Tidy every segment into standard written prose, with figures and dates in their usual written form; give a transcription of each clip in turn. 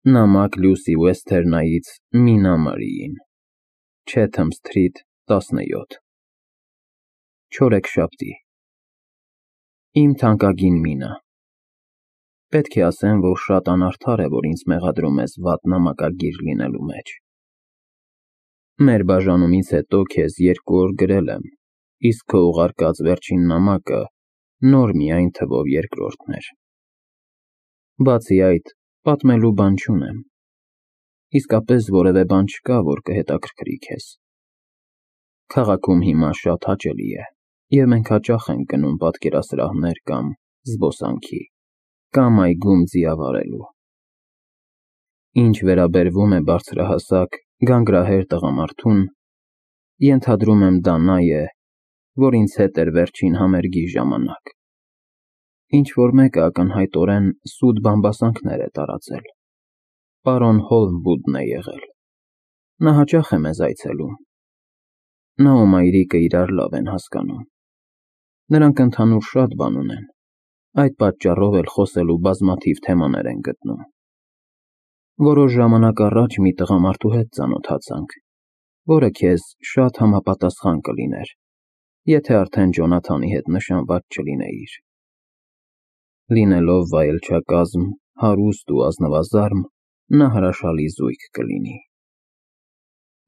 Նամակ Լյուսի Ուեսթերնայից Մինա Մարիին, Չեթըմ Սթրիթ 17 Չորեքշաբթի։ Իմ թանկագին Մինա, պետք է ասեմ, որ շատ անարդար է, որ ինձ մեղադրում ես վատ նամակագիր լինելու մեջ։ Մեր բաժանումից հետո քեզ 2 օր գրել եմ, իսկ քո ուղարկած վերջին նամակը նոր միայն թվով 2-րդն էր։ Բացի այդ, պատմելու բան չունեմ, իսկապես որևէ բան չկա, որ կհետաքրքրի քեզ։ Քաղաքում հիմա շատ հաճելի է, և մենք հաճախ ենք գնում պատկերասրահներ կամ զբոսանքի, կամ այգում ձիավ վարելու։ Ինչ վերաբերվում է բարձրահասակ, գանգրահեր տղամարդուն, ենթադրում եմ դա նա է, որ ինձ հետ էր վերջին համերգի ժամանակ։ Ինչ-որ մեկը ակնհայտորեն սուտ բամբասանքներ է տարածել։ Պարոն Հոլմվուդն է եղել։ Նա հաճախ է մեզ այցելում։ Նա ու մայրիկը իրար լավ են հասկանում։ Նրանք ընդհանուր շատ բան ունեն, այդ պատճառով էլ խոսելու բազմաթիվ թեմաներ են գտնում։ Որոշ ժամանակ առաջ մի տղամարդու հետ ծանոթացանք, որը քեզ շատ համապատասխան կլիներ, եթե արդեն Ջոնաթանի հետ նշանված չլինեիր։ Լինելով վայելչակազմ, հարուստ ու ազնվազարմ, նա հրաշալի զույգ կլինի։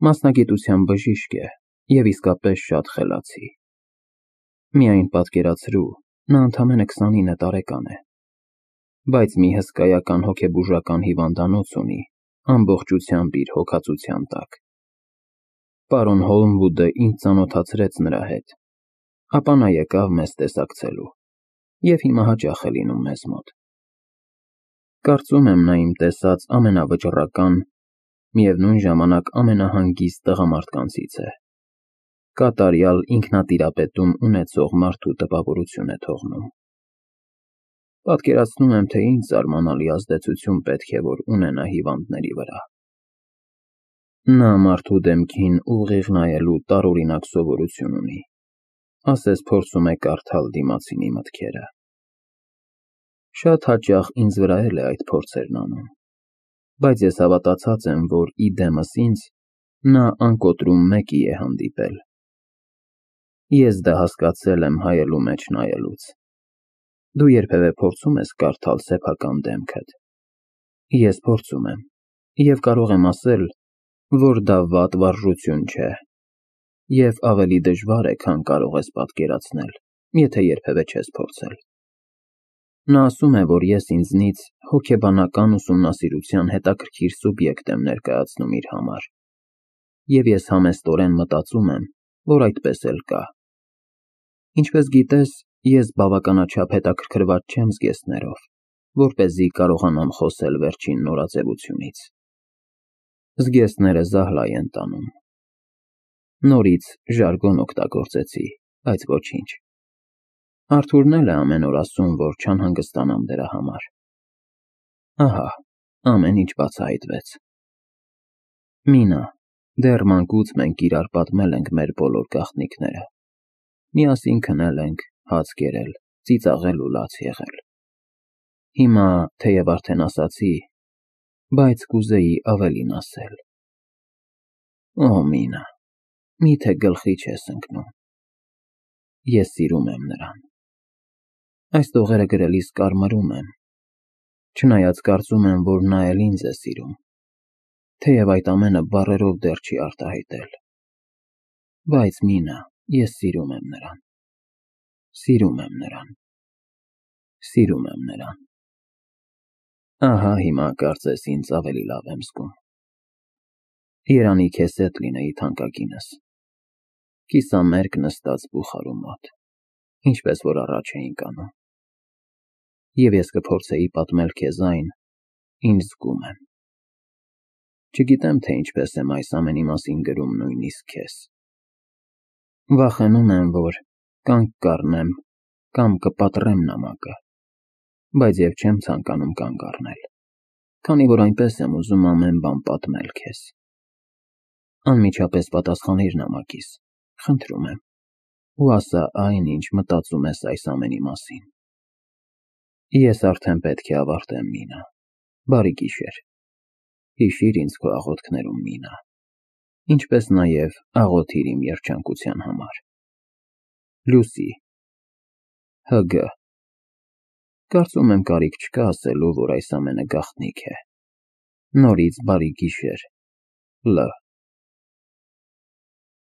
Մասնագիտությամբ բժիշկ է և իսկապես շատ խելացի։ Միայն պատկերացրու, նա ընդամենը 29 տարեկան է, բայց մի հսկայական հոգեբուժական հիվանդանոց ունի, ամբողջությամբ իր հոգացության տակ։ Պարոն Հոլմվուդը ինձ ծանոթացրեց նրա հետ, ապա նա եկավ մեզ տեսակցելու և հիմա հաճախ է լինում մեզ մոտ։ Կարծում եմ, նա իմ տեսած ամենավճռական, միևնույն ժամանակ ամենահանգիստ տղամարդկանցից է։ Կատարյալ ինքնատիրապետում ունեցող մարդու տպավորություն է թողնում։ Պատկերացնում եմ, թե ինչ զարմանալի ազդեցություն պետք է որ ունենա հիվանդների վրա։ Նա մարդու դեմքին ուղիղ նայելու տարօրինակ սովորություն ունի, ասես փորձում է կարդալ դիմացինի մտքերը։ Շատ հաճախ ինձ վրա էլ է այդ փորձերն անում, բայց ես հավատացած եմ, որ ի դեմս ինձ նա անկոտրում մեկի է հանդիպել։ Ես դա հասկացել եմ հայելու մեջ նայելուց։ Դու երբևէ փորձում ես կարդալ սեփական դեմքդ։ Ես փորձում եմ, և կարող եմ ասել, որ դա վատ վարժություն չէ, և ավելի դժվար է, քան կարող ես պատկերացնել, եթե երբևէ չես փորձել։ Նա ասում է, որ ես ինձնից հոգեբանական ուսումնասիրության հետաքրքիր սուբյեկտ եմ ներկայացնում իր համար, և ես համեստորեն մտածում եմ, որ այդպես էլ կա։ Ինչպես գիտես, ես բավականաչափ հետաքրքրված չեմ զգեստներով, որպեսզի կարողանամ խոսել վերջին նորաձևությունից։ Զգեստները զահլայ են տանում։ Նորից ժարգոն օգտագործեցի, բայց ոչինչ։ Արթուրն էլ է ամեն օր ասում, որ չանհանգստանամ դրա համար։ Ահա, ամեն ինչ բացահայտվեց։ Մինա, դեռ մանկուց մենք իրար պատմել ենք մեր բոլոր գաղտնիքները։ Միասին քնել ենք, հաց կերել, ծիծաղել ու լաց եղել։ Հիմա, թեև արդեն ասացի, բայց կուզեի ավելին ասել։ Օ, Մինա, միթե գլխի չես ընկնում։ Ես սիրում եմ նրան։ Այս տողերը գրելիս կարմրում եմ, չնայած կարծում եմ, որ նա էլ ինձ է սիրում, թեև այդ ամենը բառերով դեռ չի արտահայտել։ Բայց Մինա, ես սիրում եմ նրան։ Սիրում եմ նրան։ Սիրում եմ նրան։ Ահա հիմա կարծես ինձ ավելի լավ եմ զգում։ Երանի քեզ հետ լինեի, թանկագինս։ Կիսամերկ նստած բուխարու մոտ, ինչպես որ առաջ էինք անում։ Եվ ես կփորձեի պատմել քեզ այն, ինչ զգում եմ։ Չգիտեմ, թե ինչպես եմ այս ամենի մասին գրում նույնիսկ քեզ։ Վախենում եմ, որ կանգ կառնեմ կամ կպատրեմ նամակը, բայց և չեմ ցանկանում կանգ առնել, քանի որ այնպես եմ ուզում ամեն բան պատմել քեզ։ Անմիջապես պատասխանիր նամակիս, խնդրում եմ, ու ասա այն, ինչ մտածում ես այս ամենի մասին։ Ես արդեն պետք է ավարտեմ, Մինա։ Բարի գիշեր։ Հիշիր ինձ քո աղոթքներում, Մինա, ինչպես նաև աղոթիր իմ երջանկության համար։ Լուսի ՀԳ Կարծում եմ կարիք չկա ասելու, որ այս ամենը գաղտնիք է։ Նորից բարի գիշեր, Լ։